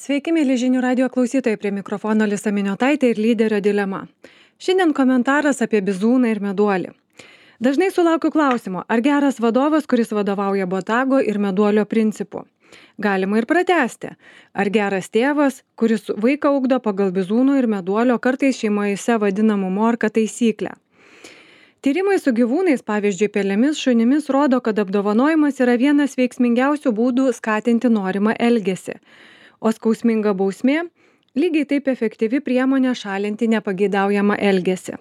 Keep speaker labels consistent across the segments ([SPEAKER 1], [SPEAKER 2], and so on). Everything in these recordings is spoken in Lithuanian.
[SPEAKER 1] Sveiki, mėly žinių radio klausytojai, prie mikrofono Lisa Miniotaitė ir lyderio dilema. Šiandien komentaras apie bizūną ir meduolį. Dažnai sulaukiu klausimo, ar geras vadovas, kuris vadovauja botago ir meduolio principu. Galima ir pratęsti. Ar geras tėvas, kuris vaiką ugdo pagal bizūno ir meduolio, kartais šeimose vadinamų morka taisyklę. Tyrimai su gyvūnais, pavyzdžiui, pelėmis, šunimis, rodo, kad apdovanojimas yra vienas veiksmingiausių būdų skatinti norimą elgesį. O skausminga bausmė lygiai taip efektyvi priemonė šalinti nepageidaujamą elgesį.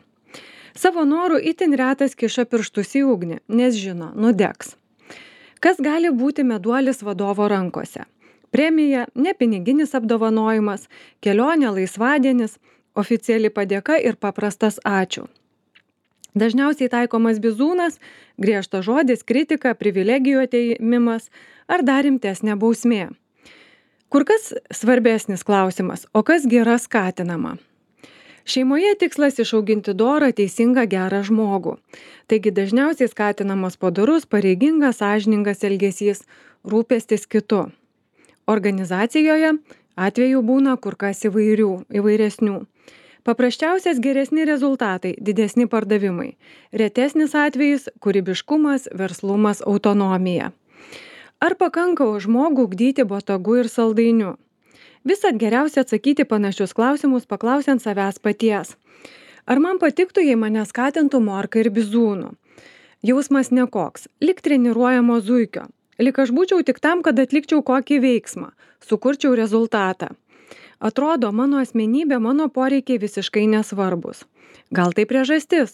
[SPEAKER 1] Savo norų itin retas kiša pirštus į ugnį, nes žino, nudegs. Kas gali būti meduolis vadovo rankose? Premija, nepiniginis apdovanojimas, kelionė, laisvadienis, oficiali padėka ir paprastas ačiū. Dažniausiai taikomas bizūnas, griežtas žodis, kritika, privilegijų atėmimas ar dar rimtesnė bausmė. Kur kas svarbesnis klausimas, o kas yra skatinama? Šeimoje tikslas išauginti dorą, teisingą, gerą žmogų. Taigi dažniausiai skatinamas padorus, pareigingas, sąžiningas elgesys, rūpestis kitu. Organizacijoje atvejų būna kur kas įvairesnių. Paprasčiausias geresni rezultatai, didesni pardavimai. Retesnis atvejis – kūrybiškumas, verslumas, autonomija. Ar pakanka žmogų ugdyti botagu ir saldainiu? Visad geriausia atsakyti panašius klausimus paklausiant savęs paties. Ar man patiktų, jei mane skatintų morka ir bizūnu? Jausmas nekoks, lyg treniruojamo zuikio. Lyg aš būčiau tik tam, kad atlikčiau kokį veiksmą, sukurčiau rezultatą. Atrodo, mano asmenybė, mano poreikiai visiškai nesvarbus. Gal tai priežastis,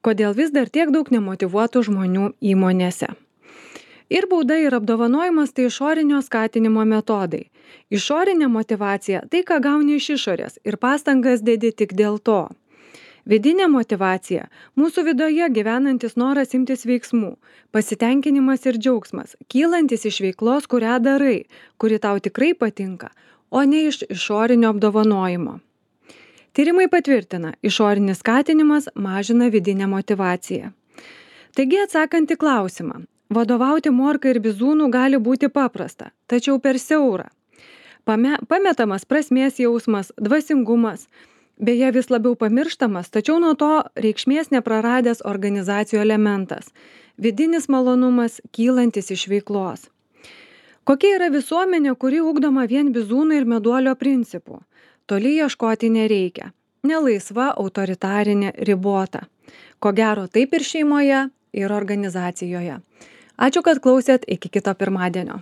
[SPEAKER 1] kodėl vis dar tiek daug nemotyvuotų žmonių įmonėse. Ir bauda ir apdovanojimas tai išorinio skatinimo metodai. Išorinė motyvacija tai, ką gauni iš išorės ir pastangas dedi tik dėl to. Vidinė motyvacija – mūsų viduje gyvenantis noras imtis veiksmų, pasitenkinimas ir džiaugsmas, kylantis iš veiklos, kurią darai, kuri tau tikrai patinka, o ne iš išorinio apdovanojimo. Tyrimai patvirtina, išorinis skatinimas mažina vidinę motyvaciją. Taigi atsakant į klausimą, vadovauti morka ir bizūnu gali būti paprasta, tačiau per siaura. Pametamas prasmės jausmas, dvasingumas, beje vis labiau pamirštamas, tačiau nuo to reikšmės nepraradęs organizacijų elementas, vidinis malonumas, kylantis iš veiklos. Kokia yra visuomenė, kuri ugdoma vien bizūno ir meduolio principų? Toli ieškoti nereikia. Nelaisva, autoritarinė, ribota. Ko gero taip ir šeimoje, ir organizacijoje. Ačiū, kad klausėt, iki kito pirmadienio.